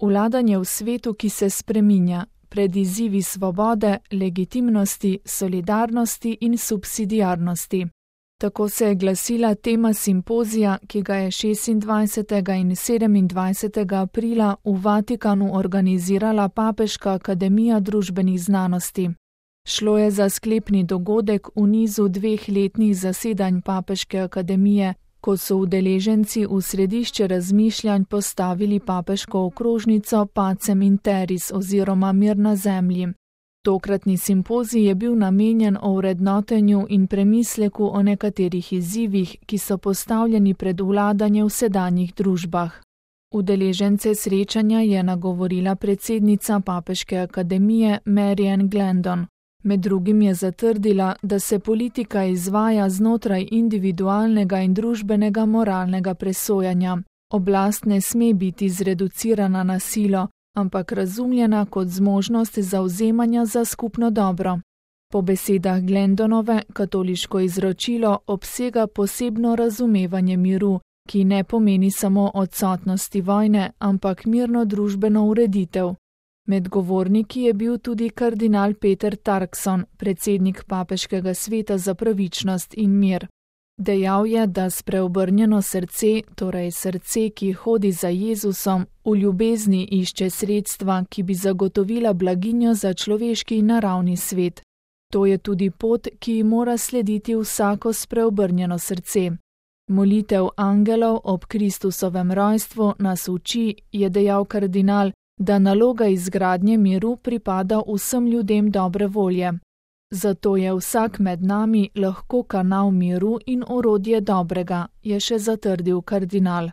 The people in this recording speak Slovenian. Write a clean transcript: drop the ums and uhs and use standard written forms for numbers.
Vladanje v svetu, ki se spreminja, pred izzivi svobode, legitimnosti, solidarnosti in subsidiarnosti. Tako se je glasila tema simpozija, ki ga je 26. in 27. aprila v Vatikanu organizirala Papeška akademija družbenih znanosti. Šlo je za sklepni dogodek v nizu 2 letnih zasedanj Papeške akademije, ko so udeleženci v središče razmišljanj postavili papeško okrožnico Pacem in Terris oziroma Mir na zemlji. Tokratni simpozij je bil namenjen ovrednotenju in premisleku o nekaterih izzivih, ki so postavljeni pred vladanje v sedanjih družbah. Udeležence srečanja je nagovorila predsednica Papeške akademije Marianne Glendon. Med drugim je zatrdila, da se politika izvaja znotraj individualnega in družbenega moralnega presojanja. Oblast ne sme biti zreducirana na silo, ampak razumljena kot zmožnost zavzemanja za skupno dobro. Po besedah Glendonove katoliško izročilo obsega posebno razumevanje miru, ki ne pomeni samo odsotnosti vojne, ampak mirno družbeno ureditev. Med govorniki je bil tudi kardinal Peter Turkson, predsednik Papeškega sveta za pravičnost in mir. Dejal je, da spreobrnjeno srce, torej srce, ki hodi za Jezusom, v ljubezni išče sredstva, ki bi zagotovila blaginjo za človeški in naravni svet. To je tudi pot, ki ji mora slediti vsako spreobrnjeno srce. Molitev angelov ob Kristusovem rojstvu nas uči, je dejal kardinal, da naloga izgradnje miru pripada vsem ljudem dobre volje. Zato je vsak med nami lahko kanal miru in orodje dobrega, je še zatrdil kardinal.